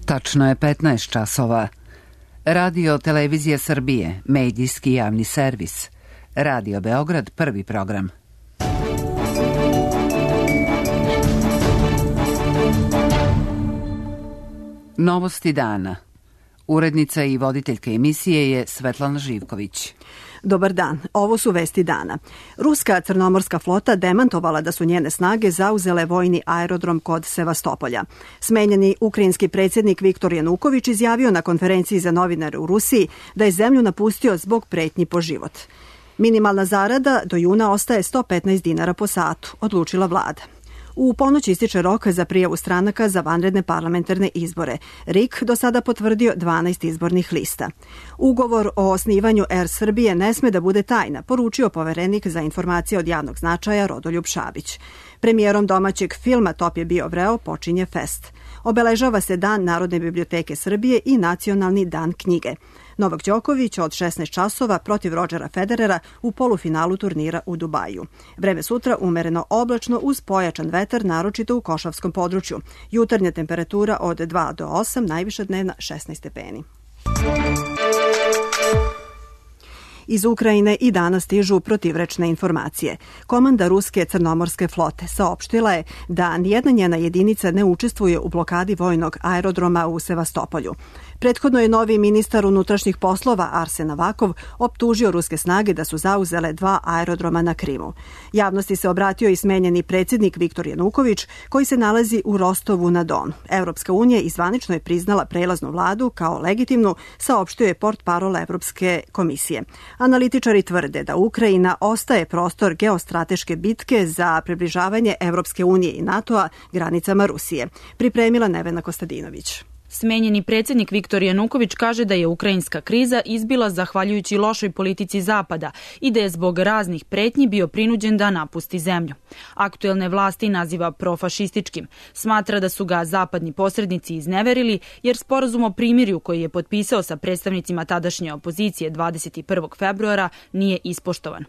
Tačno je 15 časova. Radio Televizija Srbije, medijski javni servis. Radio Beograd, prvi program. Novosti dana. Urednica i voditeljka emisije je Svetlana Živković. Dobar dan, ovo su vesti dana. Ruska crnomorska flota demantovala da su njene snage zauzele vojni aerodrom kod Sevastopolja. Smenjeni ukrajinski predsjednik Viktor Januković izjavio na konferenciji za novinare u Rusiji da je zemlju napustio zbog pretnji po život. Minimalna zarada do juna ostaje 115 dinara po satu, odlučila vlada. U ponoć ističe rok za prijavu stranaka za vanredne parlamentarne izbore. RIK do sada potvrdio 12 izbornih lista. Ugovor o osnivanju Air Srbije ne sme da bude tajna, poručio poverenik za informacije od javnog značaja Rodoljub Šabić. Premijerom domaćeg filma Top je bio vreo počinje fest. Obeležava se Dan Narodne biblioteke Srbije i Nacionalni dan knjige. Novak Đoković od 16 časova protiv Rodžera Federera u polufinalu turnira u Dubaju. Vreme sutra umereno oblačno uz pojačan vetar, naročito u Košavskom području. Jutarnja temperatura od 2 do 8, najviša dnevna 16 stepeni. Iz Ukrajine i danas stižu protivrečne informacije. Komanda ruske crnomorske flote saopštila je da nijedna njena jedinica ne učestvuje u blokadi vojnog aerodroma u Sevastopolju. Prethodno je novi ministar unutrašnjih poslova Arsen Avakov optužio ruske snage da su zauzele 2 aerodroma na Krimu. Javnosti se obratio i smenjeni predsjednik Viktor Januković, koji se nalazi u Rostovu na Donu. Evropska unija izvanično je priznala prelaznu vladu kao legitimnu, saopštio je portparol Evropske komisije. Analitičari tvrde da Ukrajina ostaje prostor geostrateške bitke za približavanje Evropske unije i NATO-a granicama Rusije. Pripremila Nevena Kostadinović. Smenjeni predsjednik Viktor Januković kaže da je ukrajinska kriza izbila zahvaljujući lošoj politici Zapada i da je zbog raznih pretnji bio prinuđen da napusti zemlju. Aktuelne vlasti naziva profašističkim. Smatra da su ga zapadni posrednici izneverili jer sporazum o primirju koji je potpisao sa predstavnicima tadašnje opozicije 21. februara nije ispoštovan.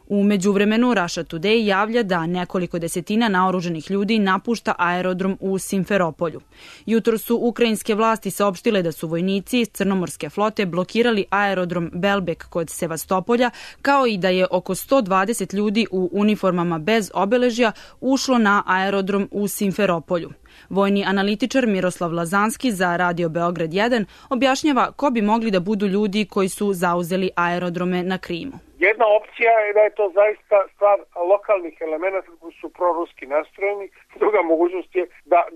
U međuvremenu Russia Today javlja da nekoliko desetina naoruženih ljudi napušta aerodrom u Simferopolju. Jutro su ukrajinske vlasti saopštile da su vojnici crnomorske flote blokirali aerodrom Belbek kod Sevastopolja, kao i da je oko 120 ljudi u uniformama bez obeležja ušlo na aerodrom u Simferopolju. Vojni analitičar Miroslav Lazanski za Radio Beograd 1 objašnjava ko bi mogli da budu ljudi koji su zauzeli aerodrome na Krimu. Jedna opcija je da je to zaista stvar lokalnih elemenata koji su proruski nastrojeni. Druga mogućnost je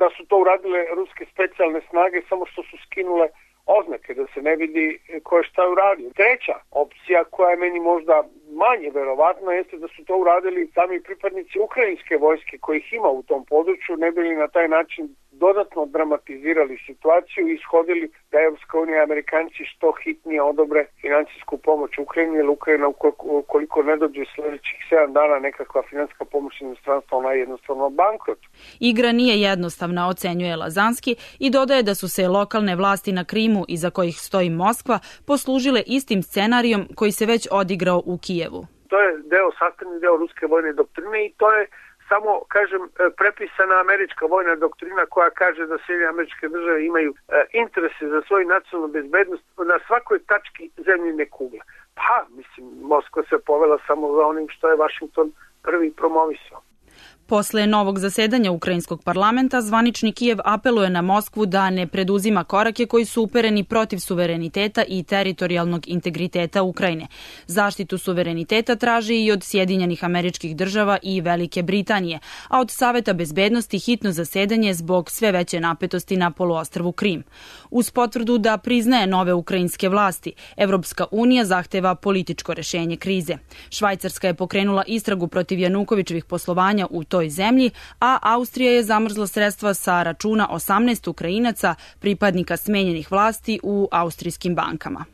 da su to uradile ruske specijalne snage, samo što su skinule oznake, da se ne vidi ko je šta uradio. Treća opcija, koja je meni možda manje verovatna, jeste da su to uradili sami pripadnici ukrajinske vojske kojih ima u tom području, ne bili na taj način dodatno dramatizirali situaciju i ishodili da Evropska unija i Amerikanci što hitnije odobre finansijsku pomoć Ukrajini, jer Ukrajina ukoliko ne dođe sljedećih 7 dana nekakva finansijska pomoć inostranstva, ona je jednostavno bankrot. Igra nije jednostavna, ocenjuje Lazanski i dodaje da su se lokalne vlasti na Krimu, iza kojih stoji Moskva, poslužile istim scenarijom koji se već odigrao u Kijevu. To je sastavni deo ruske vojne doktrine i to je samo, kažem, prepisana američka vojna doktrina koja kaže da Sjedinjene Američke Države imaju interese za svoju nacionalnu bezbednost na svakoj tački zemljine kugle. Pa, mislim, Moskva se povela samo za onim što je Washington prvi promovisao. Posle novog zasedanja ukrajinskog parlamenta, zvanični Kijev apeluje na Moskvu da ne preduzima korake koji su upereni protiv suvereniteta i teritorijalnog integriteta Ukrajine. Zaštitu suvereniteta traži i od Sjedinjenih Američkih Država i Velike Britanije, a od Saveta bezbednosti hitno zasedanje zbog sve veće napetosti na poluostrvu Krim. Uz potvrdu da priznaje nove ukrajinske vlasti, Evropska unija zahteva političko rešenje krize. Švajcarska je pokrenula istragu protiv Janukovićevih poslovanja u toj zemlji, a Austrija je zamrzla sredstva sa računa 18 Ukrajinaca, pripadnika smenjenih vlasti u austrijskim bankama.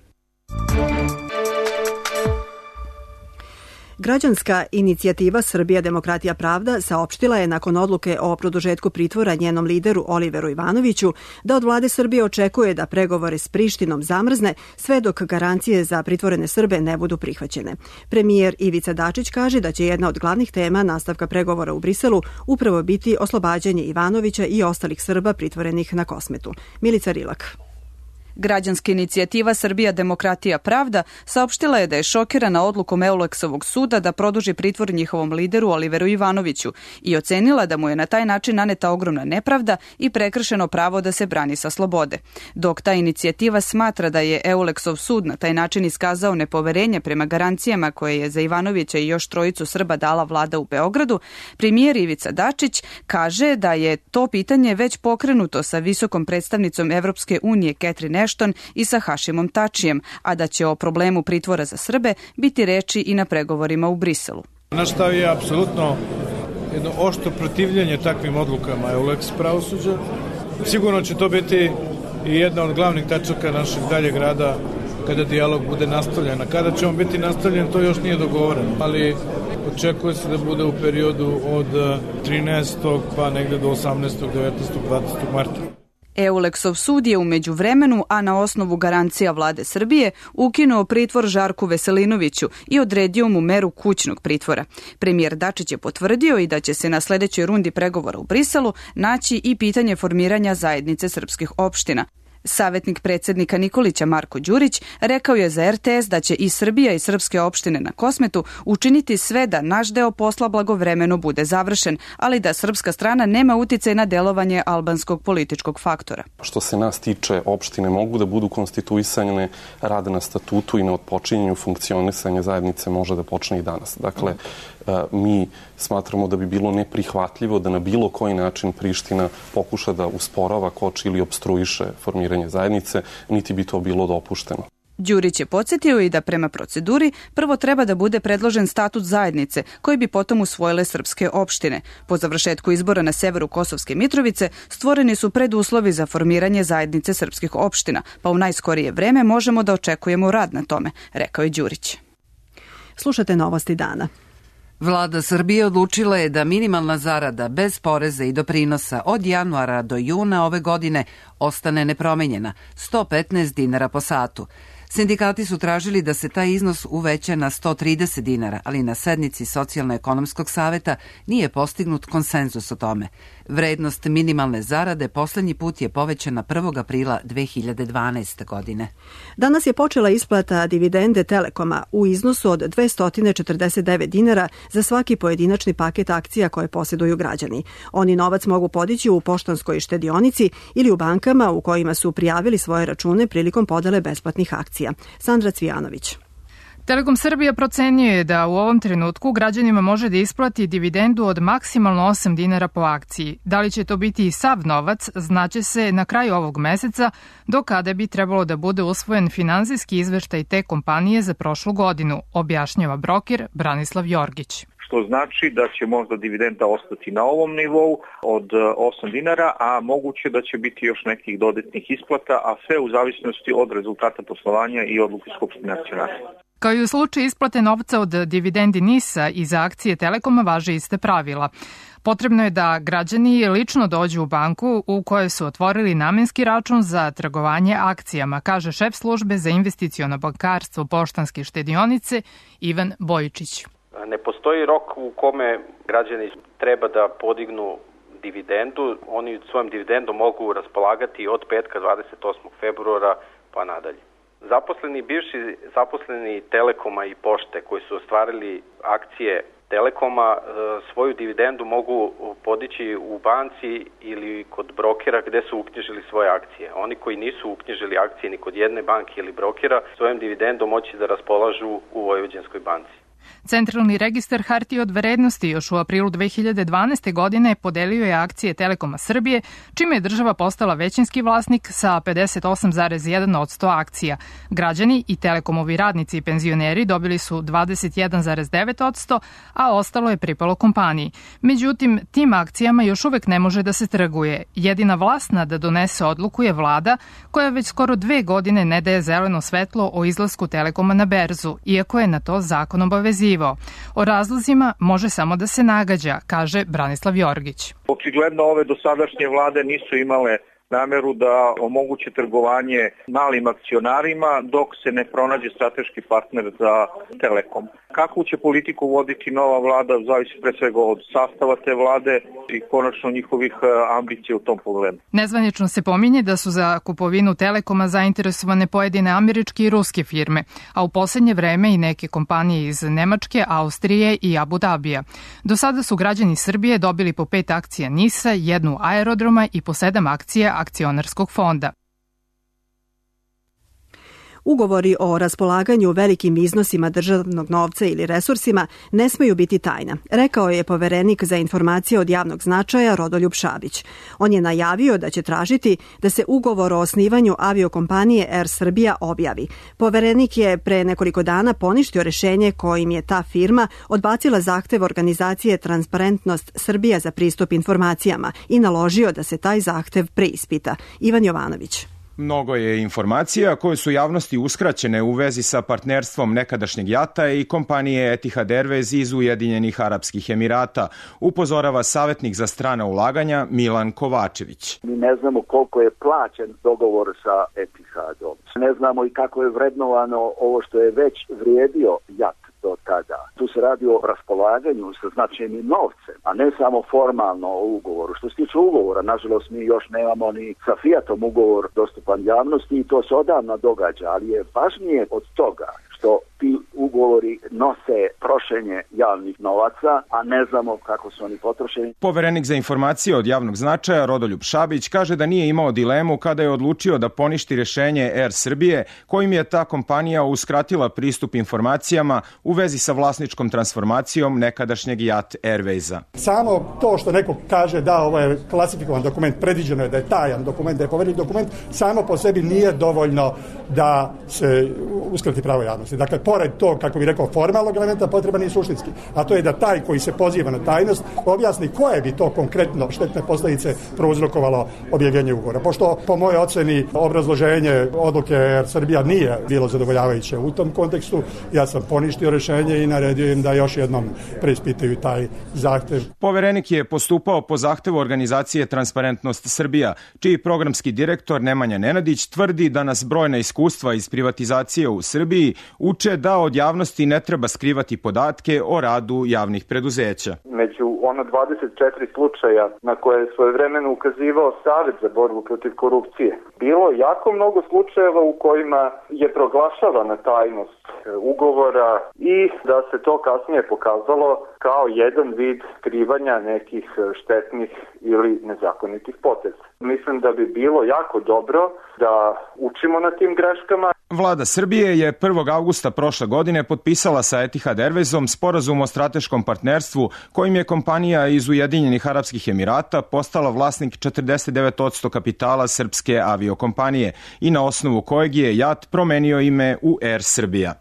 Građanska inicijativa Srbija, demokratija, pravda saopštila je nakon odluke o produžetku pritvora njenom lideru Oliveru Ivanoviću da od vlade Srbije očekuje da pregovore s Prištinom zamrzne sve dok garancije za pritvorene Srbe ne budu prihvaćene. Premijer Ivica Dačić kaže da će jedna od glavnih tema nastavka pregovora u Briselu upravo biti oslobađanje Ivanovića i ostalih Srba pritvorenih na Kosmetu. Milica Rilak. Građanska inicijativa Srbija, demokratija, pravda saopštila je da je šokirana odlukom Euleksovog suda da produži pritvor njihovom lideru Oliveru Ivanoviću i ocenila da mu je na taj način naneta ogromna nepravda i prekršeno pravo da se brani sa slobode. Dok ta inicijativa smatra da je Euleksov sud na taj način iskazao nepoverenje prema garancijama koje je za Ivanovića i još trojicu Srba dala vlada u Beogradu, premijer Ivica Dačić kaže da je to pitanje već pokrenuto sa visokom predstavnicom Evropske unije Catherine Ashton i sa Hašimom Tačijem, a da će o problemu pritvora za Srbe biti reči i na pregovorima u Briselu. Naš stav je apsolutno jedno oštro protivljenje takvim odlukama Euleks pravosuđa. Sigurno će to biti i jedna od glavnih tačaka našeg daljeg rada kada dijalog bude nastavljen. A kada će on biti nastavljen, to još nije dogovoreno, ali očekuje se da bude u periodu od 13. pa negde do 18. 19. 20. marta. Euleksov sud je u međuvremenu, a na osnovu garancija vlade Srbije, ukinuo pritvor Žarku Veselinoviću i odredio mu meru kućnog pritvora. Premijer Dačić je potvrdio i da će se na sledećoj rundi pregovora u Briselu naći i pitanje formiranja zajednice srpskih opština. Savetnik predsjednika Nikolića Marko Đurić rekao je za RTS da će i Srbija i srpske opštine na Kosmetu učiniti sve da naš deo posla blagovremeno bude završen, ali da srpska strana nema uticaj na delovanje albanskog političkog faktora. Što se nas tiče, opštine mogu da budu konstituisane, rade na statutu i na otpočinjenju funkcionisanja zajednice može da počne i danas. Dakle, mi smatramo da bi bilo neprihvatljivo da na bilo koji način Priština pokuša da usporava, koči ili opstruiše formiranje zajednice, niti bi to bilo dopušteno. Đurić je podsjetio i da prema proceduri prvo treba da bude predložen statut zajednice koji bi potom usvojile srpske opštine. Po završetku izbora na severu Kosovske Mitrovice stvoreni su preduslovi za formiranje zajednice srpskih opština, pa u najskorije vreme možemo da očekujemo rad na tome, rekao je Đurić. Slušate novosti dana. Vlada Srbije odlučila je da minimalna zarada bez poreza i doprinosa od januara do juna ove godine ostane nepromenjena, 115 dinara po satu. Sindikati su tražili da se taj iznos uveća na 130 dinara, ali na sednici Socijalno-ekonomskog saveta nije postignut konsenzus o tome. Vrednost minimalne zarade poslednji put je povećana 1. aprila 2012. godine. Danas je počela isplata dividende Telekoma u iznosu od 249 dinara za svaki pojedinačni paket akcija koje posjeduju građani. Oni novac mogu podići u poštanskoj štedionici ili u bankama u kojima su prijavili svoje račune prilikom podele besplatnih akcija. Sandra Cvijanović. Telekom Srbija procenjuje da u ovom trenutku građanima može da isplati dividendu od maksimalno 8 dinara po akciji. Da li će to biti i sav novac, znaće se na kraju ovog meseca, do kada bi trebalo da bude usvojen finansijski izveštaj te kompanije za prošlu godinu, objašnjava broker Branislav Jorgić. Što znači da će možda dividenda ostati na ovom nivou od 8 dinara, a moguće da će biti još nekih dodatnih isplata, a sve u zavisnosti od rezultata poslovanja i odluke Skupštine akcionara. Kao i u slučaju isplate novca od dividendi NIS-a i za akcije Telekoma važe iste pravila. Potrebno je da građani lično dođu u banku u kojoj su otvorili namenski račun za trgovanje akcijama, kaže šef službe za investiciono bankarstvo Poštanske štedionice Ivan Bojičić. Ne postoji rok u kome građani treba da podignu dividendu. Oni svojom dividendom mogu raspolagati od petka 28. februara pa nadalje. Bivši zaposleni Telekoma i Pošte koji su ostvarili akcije Telekoma svoju dividendu mogu podići u banci ili kod brokera gde su uknjižili svoje akcije. Oni koji nisu uknjižili akcije ni kod jedne banke ili brokera svojom dividendom moći da raspolažu u Vojvođanskoj banci. Centralni registar hartija od vrednosti još u aprilu 2012. godine podelio je akcije Telekoma Srbije, čime je država postala većinski vlasnik sa 58,1% akcija. Građani i Telekomovi radnici i penzioneri dobili su 21,9%, a ostalo je pripalo kompaniji. Međutim, tim akcijama još uvek ne može da se trguje. Jedina vlasna da donese odluku je vlada, koja već skoro 2 godine ne daje zeleno svetlo o izlasku Telekoma na berzu, iako je na to zakon obaveziva. očekivao. O razlozima može samo da se nagađa, kaže Branislav Jorgić. Očigledno ove dosadašnje vlade nisu imale nameru da omoguće trgovanje malim akcionarima dok se ne pronađe strateški partner za Telekom. Kakvu će politiku voditi nova vlada zavisi pre svega od sastava te vlade i konačno njihovih ambicija u tom pogledu. Nezvanično se pominje da su za kupovinu Telekoma zainteresovane pojedine američke i ruske firme, a u poslednje vreme i neke kompanije iz Nemačke, Austrije i Abu Dabija. Do sada su građani Srbije dobili po 5 akcija NIS-a, 1 aerodroma i po 7 akcija akcionarskog fonda. Ugovori o raspolaganju velikim iznosima državnog novca ili resursima ne smeju biti tajna, rekao je poverenik za informacije od javnog značaja Rodoljub Šabić. On je najavio da će tražiti da se ugovor o osnivanju aviokompanije Air Srbija objavi. Poverenik je pre nekoliko dana poništio rešenje kojim je ta firma odbacila zahtev organizacije Transparentnost Srbija za pristup informacijama i naložio da se taj zahtev preispita. Ivan Jovanović. Mnogo je informacija koje su javnosti uskraćene u vezi sa partnerstvom nekadašnjeg JAT-a i kompanije Etihad Airways iz Ujedinjenih Arapskih Emirata, upozorava savjetnik za strana ulaganja Milan Kovačević. Mi ne znamo koliko je plaćen dogovor sa Etihadom. Ne znamo i kako je vrednovano ovo što je već vrijedio JAT do tada. Tu se radi o raspolaganju sa značajnim novcem, a ne samo formalno o ugovoru. Što se tiče ugovora, nažalost mi još nemamo ni sa Fiatom ugovor dostupan javnosti i to se odavno događa, ali je važnije od toga što ti ugovori nose trošenje javnih novaca, a ne znamo kako su oni potrošeni. Poverenik za informacije od javnog značaja Rodoljub Šabić kaže da nije imao dilemu kada je odlučio da poništi rešenje Air Srbije, kojim je ta kompanija uskratila pristup informacijama u vezi sa vlasničkom transformacijom nekadašnjeg JAT Airwaysa. Samo to što neko kaže da ovo je klasifikovan dokument, predviđeno je da je tajan dokument, da je povereni dokument, samo po sebi nije dovoljno da se uskrati pravo javnosti. Dakle, pored tog, kako bih rekao, formalnog elementa, potreban je suštinski. A to je da taj koji se poziva na tajnost objasni koje bi to konkretno štetne posljedice prouzrokovalo objavljenje ugovora. Pošto, po mojoj oceni, obrazloženje odluke Air Srbija nije bilo zadovoljavajuće u tom kontekstu, ja sam poništio rešenje i naredio im da još jednom preispitaju taj zahtev. Poverenik je postupao po zahtevu organizacije Transparentnost Srbija, čiji programski direktor Nemanja Nenadić tvrdi da nas brojna iskustva iz privatizacije u Srbiji uče da od javnosti ne treba skrivati podatke o radu javnih preduzeća. Među 24 slučaja na koje je svojevremeno ukazivao Savet za borbu protiv korupcije, bilo jako mnogo slučajeva u kojima je proglašavana tajnost ugovora i da se to kasnije pokazalo kao jedan vid skrivanja nekih štetnih ili nezakonitih poteza. Mislim da bi bilo jako dobro da učimo na tim greškama. Vlada Srbije je 1. avgusta prošle godine potpisala sa Etihad Airwaysom sporazum o strateškom partnerstvu kojim je kompanija iz Ujedinjenih Arapskih Emirata postala vlasnik 49% kapitala srpske aviokompanije i na osnovu kojeg je JAT promenio ime u Air Srbija.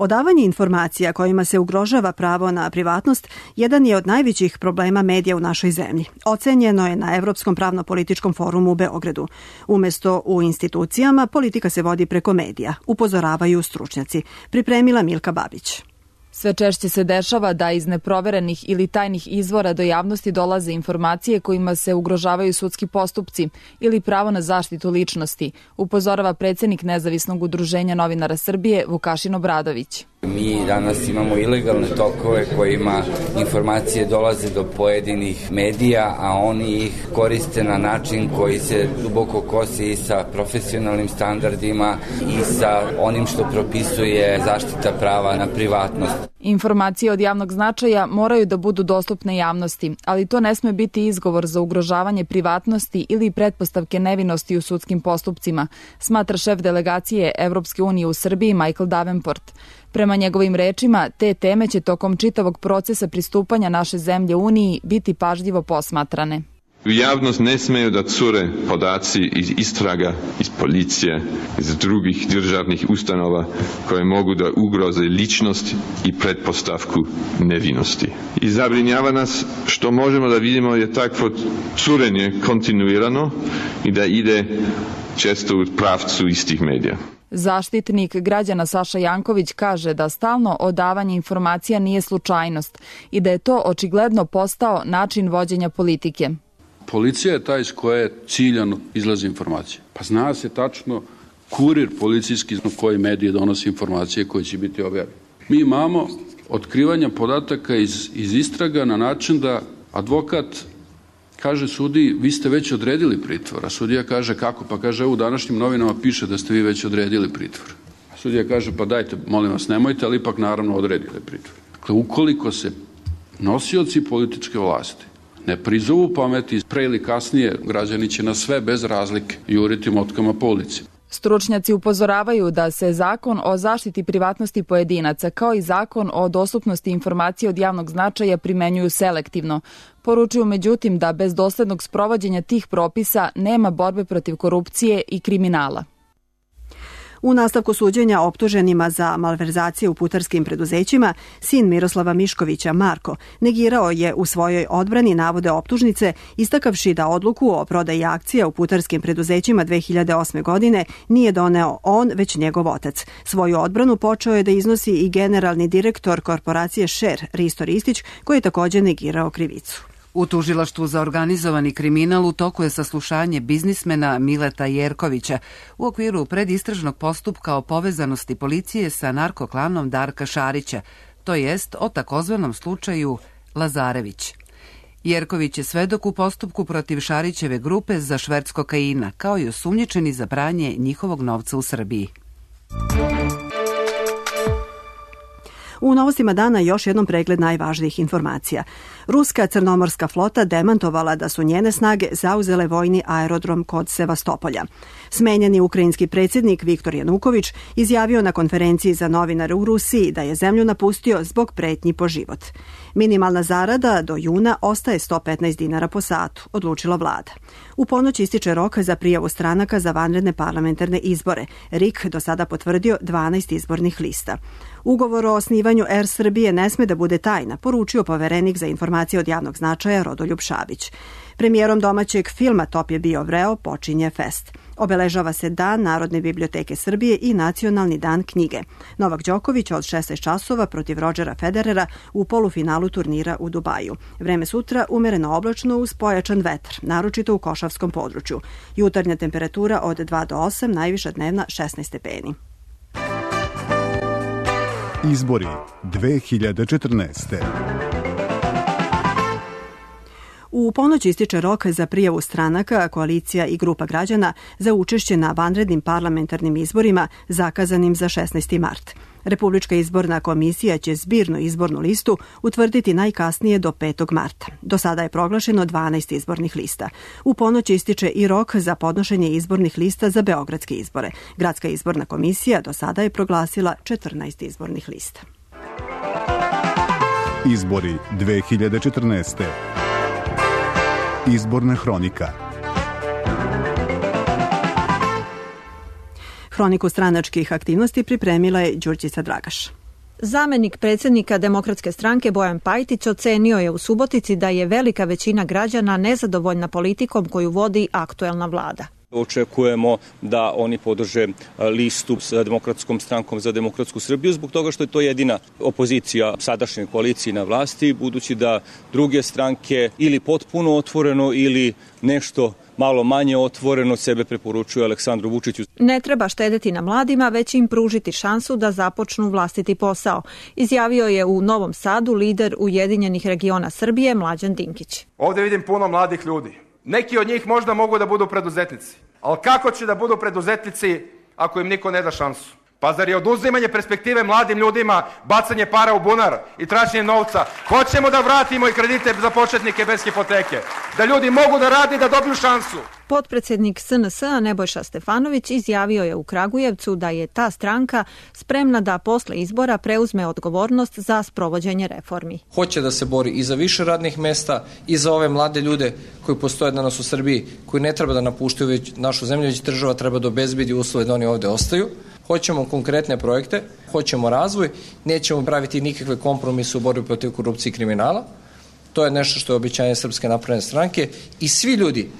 Odavanje informacija kojima se ugrožava pravo na privatnost jedan je od najvećih problema medija u našoj zemlji. Ocenjeno je na Evropskom pravno-političkom forumu u Beogradu. Umesto u institucijama, politika se vodi preko medija, upozoravaju stručnjaci. Pripremila Milka Babić. Sve češće se dešava da iz neproverenih ili tajnih izvora do javnosti dolaze informacije kojima se ugrožavaju sudski postupci ili pravo na zaštitu ličnosti, upozorava predsjednik Nezavisnog udruženja novinara Srbije Vukašin Obradović. Mi danas imamo ilegalne tokove kojima informacije dolaze do pojedinih medija, a oni ih koriste na način koji se duboko kosi i sa profesionalnim standardima i sa onim što propisuje zaštita prava na privatnost. Informacije od javnog značaja moraju da budu dostupne javnosti, ali to ne sme biti izgovor za ugrožavanje privatnosti ili pretpostavke nevinosti u sudskim postupcima, smatra šef delegacije Evropske unije u Srbiji Michael Davenport. Prema njegovim rečima, te teme će tokom čitavog procesa pristupanja naše zemlje Uniji biti pažljivo posmatrane. U javnost ne smeju da cure podaci iz istraga, iz policije, iz drugih državnih ustanova koje mogu da ugroze ličnost i pretpostavku nevinosti. I zabrinjava nas što možemo da vidimo je takvo curenje kontinuirano i da ide često u pravcu istih medija. Zaštitnik građana Saša Janković kaže da stalno odavanje informacija nije slučajnost i da je to očigledno postao način vođenja politike. Policija je taj iz koje ciljano izlazi informacija. Pa zna se tačno kurir policijski na koji medije donosi informacije koje će biti objavljene. Mi imamo otkrivanja podataka iz istraga na način da advokat kaže sudiji, vi ste već odredili pritvor, a sudija kaže kako? Pa kaže, u današnjim novinama piše da ste vi već odredili pritvor. A sudija kaže, pa dajte, molim vas, nemojte, ali ipak naravno odredili pritvor. Dakle, ukoliko se nosioci političke vlasti ne prizovu pameti, pre ili kasnije građani će na sve bez razlike juriti motkama po ulici. Stručnjaci upozoravaju da se zakon o zaštiti privatnosti pojedinaca kao i zakon o dostupnosti informacija od javnog značaja primenjuju selektivno. Poručuju međutim da bez doslednog sprovođenja tih propisa nema borbe protiv korupcije i kriminala. U nastavku suđenja optuženima za malverzacije u putarskim preduzećima, sin Miroslava Miškovića, Marko, negirao je u svojoj odbrani navode optužnice, istakavši da odluku o prodaji akcija u putarskim preduzećima 2008. godine nije doneo on, već njegov otac. Svoju odbranu počeo je da iznosi i generalni direktor korporacije Šer, Risto Ristić, koji je također negirao krivicu. U tužilaštvu za organizovani kriminal u toku je saslušanje biznismena Mileta Jerkovića u okviru predistražnog postupka o povezanosti policije sa narkoklanom Darka Šarića, to jest o takozvanom slučaju Lazarević. Jerković je svedok u postupku protiv Šarićeve grupe za šverc kokaina, kao i osumnjičeni za pranje njihovog novca u Srbiji. U novostima dana još jednom pregled najvažnijih informacija. Ruska crnomorska flota demantovala da su njene snage zauzele vojni aerodrom kod Sevastopolja. Smenjeni ukrajinski predsjednik Viktor Januković izjavio na konferenciji za novinare u Rusiji da je zemlju napustio zbog pretnji po život. Minimalna zarada do juna ostaje 115 dinara po satu, odlučila vlada. U ponoć ističe rok za prijavu stranaka za vanredne parlamentarne izbore. RIK do sada potvrdio 12 izbornih lista. Ugovor o osnivanju Air Srbije ne sme da bude tajna, poručio poverenik za informacije od javnog značaja Rodoljub Šabić. Premijerom domaćeg filma Top je bio vreo počinje fest. Obeležava se Dan Narodne biblioteke Srbije i Nacionalni dan knjige. Novak Đoković od 16 časova protiv Rodgera Federera u polufinalu turnira u Dubaju. Vreme sutra umereno oblačno uz pojačan vetar, naročito u Košavskom području. Jutarnja temperatura od 2 do 8, najviša dnevna 16 stepeni. Izbori 2014. U ponoć ističe rok za prijavu stranaka, koalicija i grupa građana za učešće na vanrednim parlamentarnim izborima zakazanim za 16. mart. Republička izborna komisija će zbirnu izbornu listu utvrditi najkasnije do 5. marta. Do sada je proglašeno 12 izbornih lista. U ponoć ističe i rok za podnošenje izbornih lista za beogradske izbore. Gradska izborna komisija do sada je proglasila 14 izbornih lista. Izbori 2014. Izborna hronika. Hroniku stranačkih aktivnosti pripremila je Đurđica Dragaš. Zamenik predsjednika Demokratske stranke Bojan Pajtić ocenio je u Subotici da je velika većina građana nezadovoljna politikom koju vodi aktuelna vlada. Očekujemo da oni podrže listu sa Demokratskom strankom za demokratsku Srbiju zbog toga što je to jedina opozicija sadašnjoj koaliciji na vlasti, budući da druge stranke ili potpuno otvoreno ili nešto malo manje otvoreno sebe preporučuju Aleksandru Vučiću. Ne treba štedeti na mladima, već im pružiti šansu da započnu vlastiti posao, izjavio je u Novom Sadu lider Ujedinjenih regiona Srbije Mlađan Dinkić. Ovdje vidim puno mladih ljudi. Neki od njih možda mogu da budu preduzetnici, ali kako će da budu preduzetnici ako im niko ne da šansu? Pa zar je oduzimanje perspektive mladim ljudima, bacanje para u bunar i traženje novca? Hoćemo da vratimo i kredite za početnike bez hipoteke, da ljudi mogu da rade i da dobiju šansu. Potpredsjednik SNS-a Nebojša Stefanović izjavio je u Kragujevcu da je ta stranka spremna da posle izbora preuzme odgovornost za sprovođenje reformi. Hoće da se bori i za više radnih mesta i za ove mlade ljude koji postoje danas u Srbiji, koji ne treba da napuštaju već našu zemlju, već država treba da obezbedi uslove da oni ovde ostaju. Hoćemo konkretne projekte, hoćemo razvoj, nećemo praviti nikakve kompromise u borbi protiv korupcije i kriminala. To je nešto što je obećanje Srpske napredne stranke i svi ljudi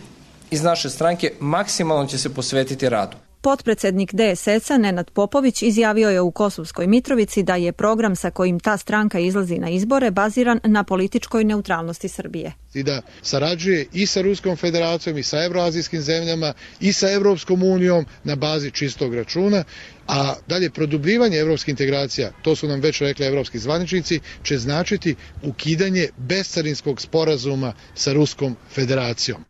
iz naše stranke maksimalno će se posvetiti radu. Potpredsednik DSS-a Nenad Popović izjavio je u Kosovskoj Mitrovici da je program sa kojim ta stranka izlazi na izbore baziran na političkoj neutralnosti Srbije. I da sarađuje i sa Ruskom federacijom i sa evroazijskim zemljama i sa Evropskom unijom na bazi čistog računa, a dalje produbljivanje evropskih integracija, to su nam već rekli evropski zvaničnici, će značiti ukidanje bescarinskog sporazuma sa Ruskom federacijom.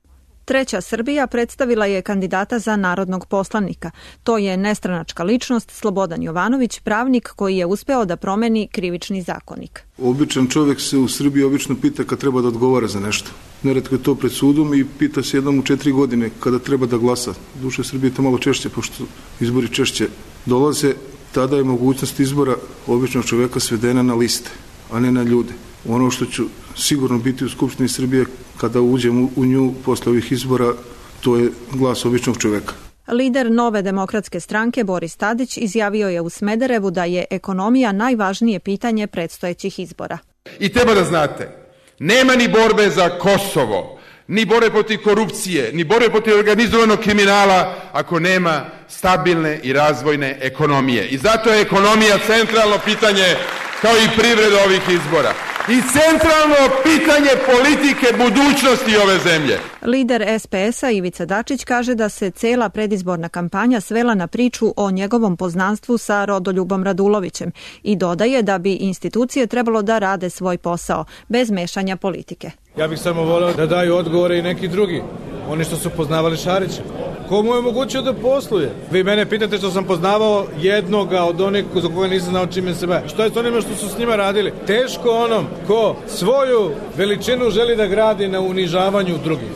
Treća Srbija predstavila je kandidata za narodnog poslanika. To je nestranačka ličnost Slobodan Jovanović, pravnik koji je uspeo da promeni krivični zakonik. Običan čovjek se u Srbiji obično pita kad treba da odgovara za nešto. Neretko je to pred sudom i pita se jednom u 4 godine kada treba da glasa. Duše Srbije to malo češće, pošto izbori češće dolaze, tada je mogućnost izbora običnog čovjeka svedena na liste, a ne na ljude. Ono što ću sigurno biti u Skupštini Srbije kada uđem u nju posle ovih izbora, to je glas običnog čovjeka. Lider Nove demokratske stranke Boris Tadić izjavio je u Smederevu da je ekonomija najvažnije pitanje predstojećih izbora. I treba da znate, nema ni borbe za Kosovo, ni borbe protiv korupcije, ni borbe protiv organizovanog kriminala ako nema stabilne i razvojne ekonomije. I zato je ekonomija centralno pitanje kao i privreda ovih izbora. I centralno pitanje politike budućnosti ove zemlje. Lider SPS-a Ivica Dačić kaže da se cela predizborna kampanja svela na priču o njegovom poznanstvu sa Rodoljubom Radulovićem i dodaje da bi institucije trebalo da rade svoj posao, bez mešanja politike. Ja bih samo voleo da daju odgovore i neki drugi, oni što su poznavali Šarića. Komu je omogućio da posluje? Vi mene pitate što sam poznavao jednoga od onih za koga nisam znao čime se bavi. Što je s onima što su s njima radili? Teško onom ko svoju veličinu želi da gradi na unižavanju drugih.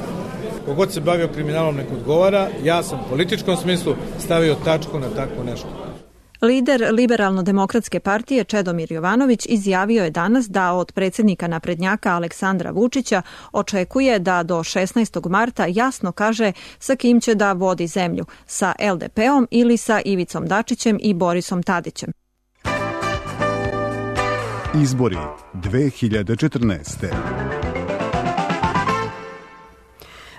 Kogod se bavio kriminalom nek odgovara, ja sam u političkom smislu stavio tačku na takvo nešto. Lider Liberalno-demokratske partije Čedomir Jovanović izjavio je danas da od predsjednika naprednjaka Aleksandra Vučića očekuje da do 16. marta jasno kaže sa kim će da vodi zemlju, sa LDP-om ili sa Ivicom Dačićem i Borisom Tadićem. Izbori 2014.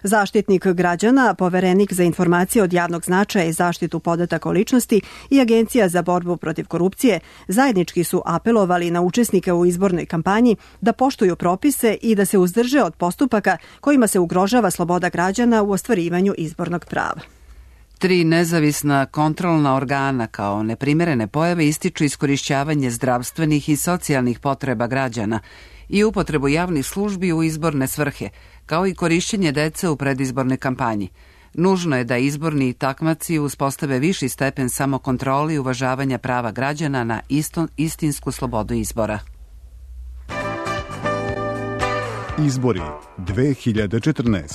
Zaštitnik građana, poverenik za informacije od javnog značaja i zaštitu podataka o ličnosti i Agencija za borbu protiv korupcije zajednički su apelovali na učesnike u izbornoj kampanji da poštuju propise i da se uzdrže od postupaka kojima se ugrožava sloboda građana u ostvarivanju izbornog prava. 3 nezavisna kontrolna organa kao neprimerene pojave ističu iskorišćavanje zdravstvenih i socijalnih potreba građana i upotrebu javnih službi u izborne svrhe, kao i korišćenje dece u predizbornoj kampanji. Nužno je da izborni takmaci uspostave viši stepen samokontrole i uvažavanja prava građana na istinsku slobodu izbora. Izbori 2014.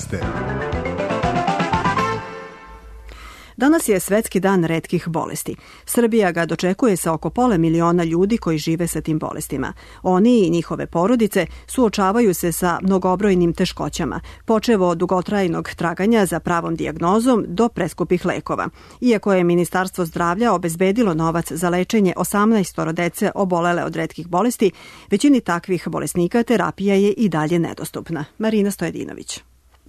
Danas je Svetski dan retkih bolesti. Srbija ga dočekuje sa oko 500.000 ljudi koji žive sa tim bolestima. Oni i njihove porodice suočavaju se sa mnogobrojnim teškoćama, počev od dugotrajnog traganja za pravom dijagnozom do preskupih lekova. Iako je Ministarstvo zdravlja obezbedilo novac za lečenje 18 dece obolele od retkih bolesti, većini takvih bolesnika terapija je i dalje nedostupna. Marina Stojedinović.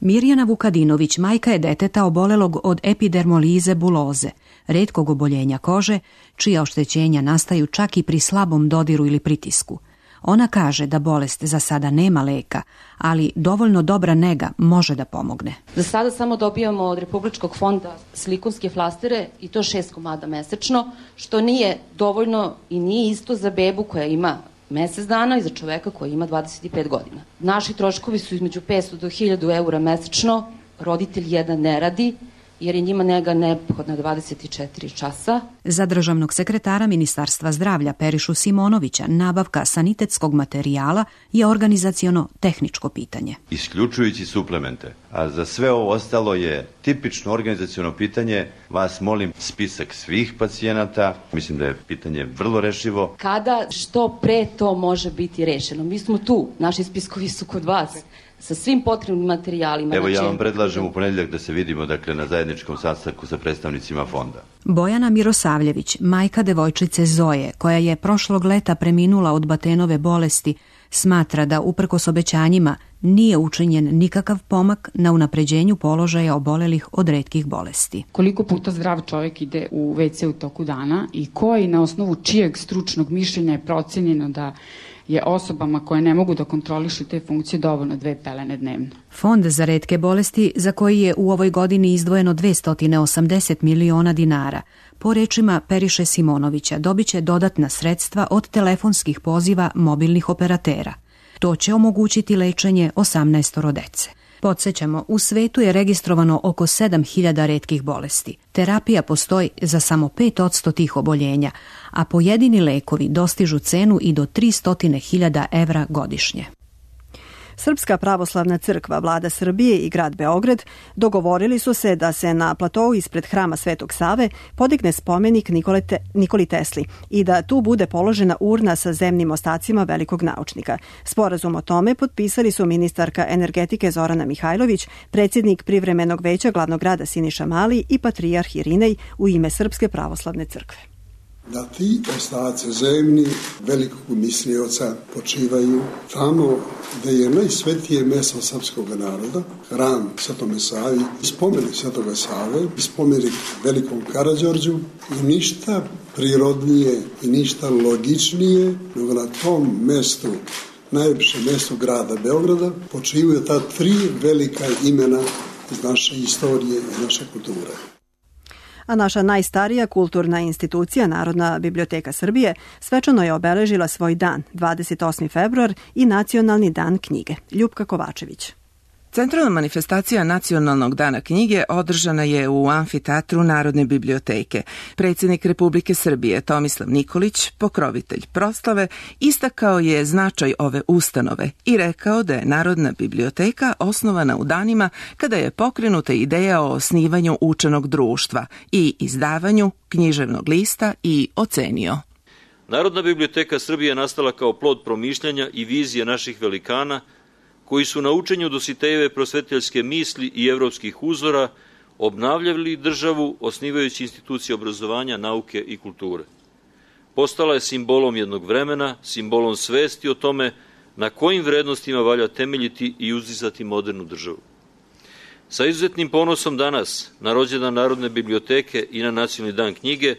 Mirjana Vukadinović majka je deteta obolelog od epidermolize buloze, retkog oboljenja kože, čija oštećenja nastaju čak i pri slabom dodiru ili pritisku. Ona kaže da bolest za sada nema leka, ali dovoljno dobra nega može da pomogne. Za sada samo dobijamo od Republičkog fonda silikonske flastere i to 6 komada mesečno, što nije dovoljno i nije isto za bebu koja ima mesec dana i za čoveka koji ima 25 godina. Naši troškovi su između 500 do 1000 eura mesečno, roditelj jedan ne radi, jer je njima nega neophodna 24 časa. Za državnog sekretara Ministarstva zdravlja Perišu Simonovića nabavka sanitetskog materijala je organizaciono-tehničko pitanje. Isključujući suplemente, a za sve ovo ostalo je tipično organizaciono pitanje. Vas molim spisak svih pacijenata. Mislim da je pitanje vrlo rešivo. Kada što pre to može biti rešeno? Mi smo tu, naši spiskovi su kod vas. sa svim potrebnim materijalima. Evo ja vam predlažem u ponedjeljak da se vidimo na zajedničkom sastanku sa predstavnicima fonda. Bojana Mirosavljević, majka devojčice Zoje, koja je prošlog leta preminula od Batenove bolesti, smatra da uprkos obećanjima nije učinjen nikakav pomak na unapređenju položaja obolelih od retkih bolesti. Koliko puta zdrav čovjek ide u WC u toku dana i koji na osnovu čijeg stručnog mišljenja je procenjeno da je osobama koje ne mogu da kontrolišu te funkcije dovoljno 2 pelene dnevno. Fond za retke bolesti, za koji je u ovoj godini izdvojeno 280 miliona dinara, po rečima Periše Simonovića, dobiće dodatna sredstva od telefonskih poziva mobilnih operatera. To će omogućiti lečenje 18 dece. Podsjećamo, u svetu je registrovano oko 7.000 retkih bolesti. Terapija postoji za samo 5% tih oboljenja, a pojedini lekovi dostižu cenu i do 300.000 evra godišnje. Srpska pravoslavna crkva, vlada Srbije i grad Beograd dogovorili su se da se na platou ispred hrama Svetog Save podigne spomenik Nikoli Tesli i da tu bude položena urna sa zemnim ostacima velikog naučnika. Sporazum o tome potpisali su ministarka energetike Zorana Mihajlović, predsjednik privremenog veća glavnog grada Siniša Mali i patrijarh Irinej u ime Srpske pravoslavne crkve. Da ti ostaci zemni velikog mislioca počivaju tamo gde je najsvetije mesto srpskog naroda, hram Svetome Savi, spomenik Svetoga Save, spomenik velikom Karađorđu i ništa prirodnije i ništa logičnije nego na tom mestu, najljepšem mestu grada Beograda, počivaju ta 3 velika imena iz naše istorije i naše kulture. A naša najstarija kulturna institucija, Narodna biblioteka Srbije, svečano je obeležila svoj dan, 28. februar i Nacionalni dan knjige. Ljupka Kovačević. Centralna manifestacija Nacionalnog dana knjige održana je u amfiteatru Narodne biblioteke. Predsjednik Republike Srbije Tomislav Nikolić, pokrovitelj proslave, istakao je značaj ove ustanove i rekao da je Narodna biblioteka osnovana u danima kada je pokrenuta ideja o osnivanju učenog društva i izdavanju književnog lista i ocenio. Narodna biblioteka Srbije nastala kao plod promišljanja i vizije naših velikana koji su na učenju Dositejeve prosvetiteljske misli i evropskih uzora obnavljali državu osnivajući institucije obrazovanja, nauke i kulture. Postala je simbolom jednog vremena, simbolom svesti o tome na kojim vrednostima valja temeljiti i uzdizati modernu državu. Sa izuzetnim ponosom danas, na rođendan Narodne biblioteke i na Nacionalni dan knjige,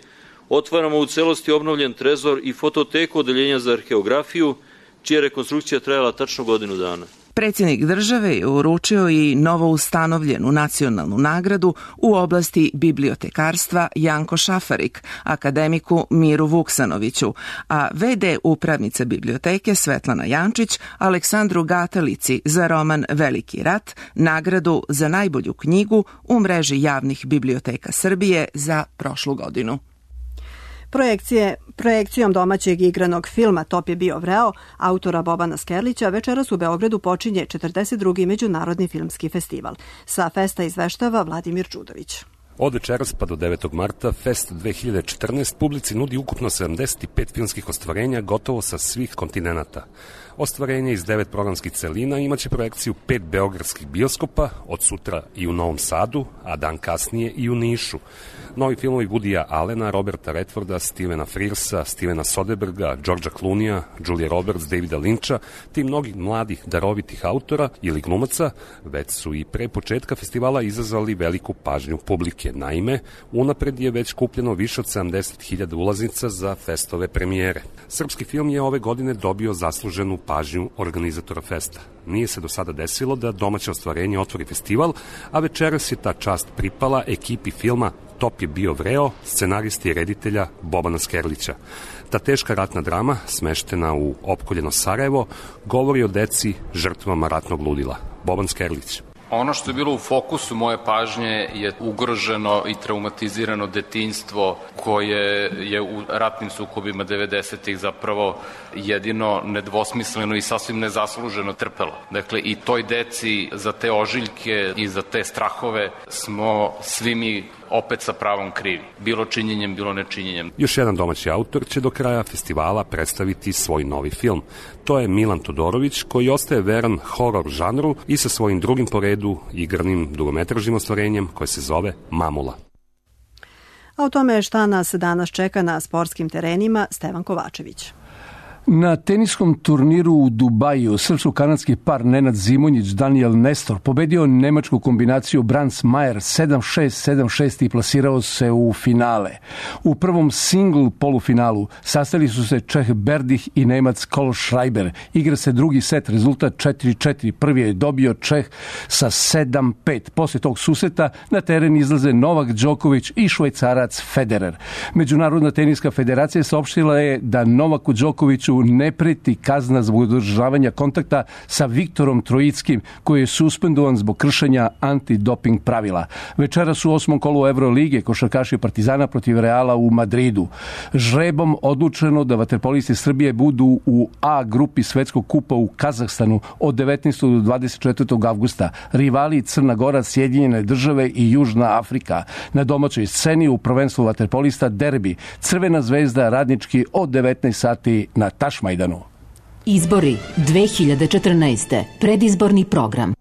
otvaramo u celosti obnovljen trezor i fototeku Odeljenja za arheografiju, čija rekonstrukcija trajala tačno godinu dana. Predsjednik države je uručio i novo ustanovljenu nacionalnu nagradu u oblasti bibliotekarstva Janko Šafarik, akademiku Miru Vuksanoviću, a v.d. upravnica biblioteke Svetlana Jančić Aleksandru Gatalici za roman Veliki rat, nagradu za najbolju knjigu u mreži javnih biblioteka Srbije za prošlu godinu. Projekcijom domaćeg igranog filma Top je bio vreo, autora Bobana Skerlića, večeras u Beogradu počinje 42. Međunarodni filmski festival. Sa festa izveštava Vladimir Čudović. Od večeras pa do 9. marta Fest 2014 publici nudi ukupno 75 filmskih ostvarenja gotovo sa svih kontinenata. Ostvarenje iz 9 programskih celina imaće projekciju 5 beogradskih bioskopa, od sutra i u Novom Sadu, a dan kasnije i u Nišu. Novi filmovi Woodya Allena, Roberta Redforda, Stevena Frearsa, Stevena Soderberga, Georgea Clooneyja, Julia Roberts, Davida Lyncha, te mnogih mladih darovitih autora ili glumaca, već su i pre početka festivala izazvali veliku pažnju publike. Naime, unapred je već kupljeno više od 70.000 ulaznica za festove premijere. Srpski film je ove godine dobio zasluženu pažnju organizatora festa. Nije se do sada desilo da domaće ostvarenje otvori festival, a večeras je ta čast pripala ekipi filma Top je bio vreo, scenaristi i reditelja Bobana Skerlića. Ta teška ratna drama, smeštena u opkoljeno Sarajevo, govori o deci žrtvama ratnog ludila. Boban Skerlić. Ono što je bilo u fokusu moje pažnje je ugroženo i traumatizirano detinjstvo koje je u ratnim sukobima 90-ih zapravo jedino nedvosmisleno i sasvim nezasluženo trpelo. Dakle, i toj deci za te ožiljke i za te strahove smo svi mi opet sa pravom krivi. Bilo činjenjem, bilo nečinjenjem. Još jedan domaći autor će do kraja festivala predstaviti svoj novi film. To je Milan Todorović, koji ostaje veran horor žanru i sa svojim drugim po redu igranim dugometražnim ostvarenjem koje se zove Mamula. A o tome šta nas danas čeka na sportskim terenima, Stevan Kovačević. Na teniskom turniru u Dubaju srpsko-kanadski par Nenad Zimonjić, Daniel Nestor pobedio nemačku kombinaciju Brands Mayer 7-6, 7-6 i plasirao se u finale. U prvom singl polufinalu sastali su se Čeh Berdih i Nemac Kohlschreiber. Igra se drugi set, rezultat 4-4. Prvi je dobio Čeh sa 7-5. Posle tog susreta na teren izlaze Novak Đoković i Švajcarac Federer. Međunarodna teniska federacija saopštila je da Novaku Đokoviću ne preti kazna zbog održavanja kontakta sa Viktorom Trojickim, koji je suspendovan zbog kršenja antidoping pravila. Večeras u 8. kolu Evrolige košarkaši Partizana protiv Reala u Madridu. Žrebom odlučeno da vaterpolisti Srbije budu u A grupi Svetskog kupa u Kazahstanu od 19. do 24. avgusta. Rivali Crna Gora, Sjedinjene države i Južna Afrika. Na domaćoj sceni u prvenstvu vaterpolista derbi Crvena zvezda Radnički od 19 sati na Tašmajdanu. Izbori 2014. Predizborni program.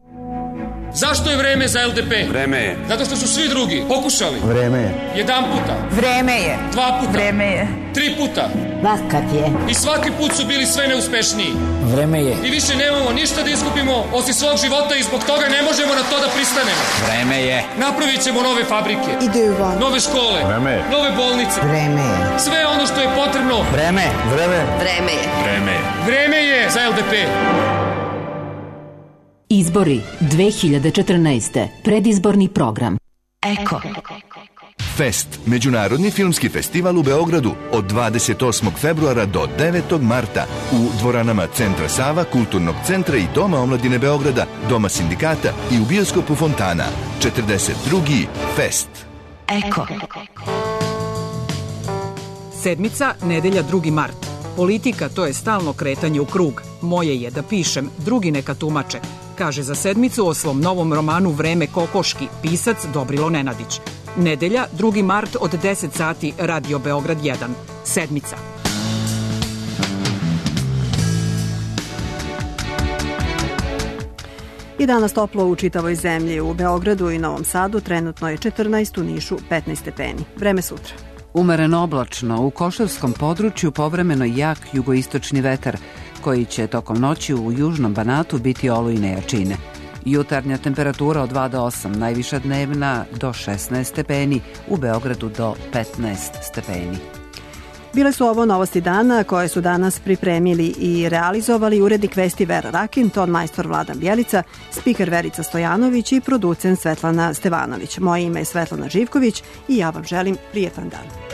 Zašto je vreme za LDP? Vreme je. Zato što su svi drugi pokušali. Vreme je. Jedan puta. Vreme je. Dva puta. Vreme je. 3 puta. Vakat je. I svaki put su bili sve neuspešniji. Vreme je. I više nemamo ništa da izgubimo osim svog života i zbog toga ne možemo na to da pristanemo. Vreme je. Napravit ćemo nove fabrike. Ideju van. Nove škole. Vreme je. Nove bolnice. Vreme je. Sve ono što je potrebno. Vreme. Vreme. Vreme je. Vreme je. Vreme je za LDP. Izbori 2014. Predizborni program. Eko. Fest, međunarodni filmski festival u Beogradu od 28. februara do 9. marta u dvoranama Centra Sava, Kulturnog centra i Doma omladine Beograda, Doma sindikata i u bioskopu Fontana. 42. Fest. Eko. Sedmica, nedelja 2. mart. Politika, to je stalno kretanje u krug. Moje je da pišem, drugi neka tumače. Kaže za sedmicu o svom novom romanu Vreme kokoški, pisac Dobrilo Nenadić. Nedelja, 2. mart od 10 sati, Radio Beograd 1. Sedmica. I danas toplo u čitavoj zemlji. U Beogradu i Novom Sadu trenutno je 14, u Nišu 15 stepeni. Vreme sutra. Umereno oblačno, u Košavskom području povremeno jak jugoistočni vetar, koji će tokom noći u južnom Banatu biti olujne jačine. Jutarnja temperatura od 2 do 8, najviša dnevna do 16 stepeni, u Beogradu do 15 stepeni. Bile su ovo novosti dana koje su danas pripremili i realizovali urednik vesti Vera Rakin, ton majstor Vladan Bjelica, spiker Verica Stojanović i producent Svetlana Stevanović. Moje ime je Svetlana Živković i ja vam želim prijetan dan.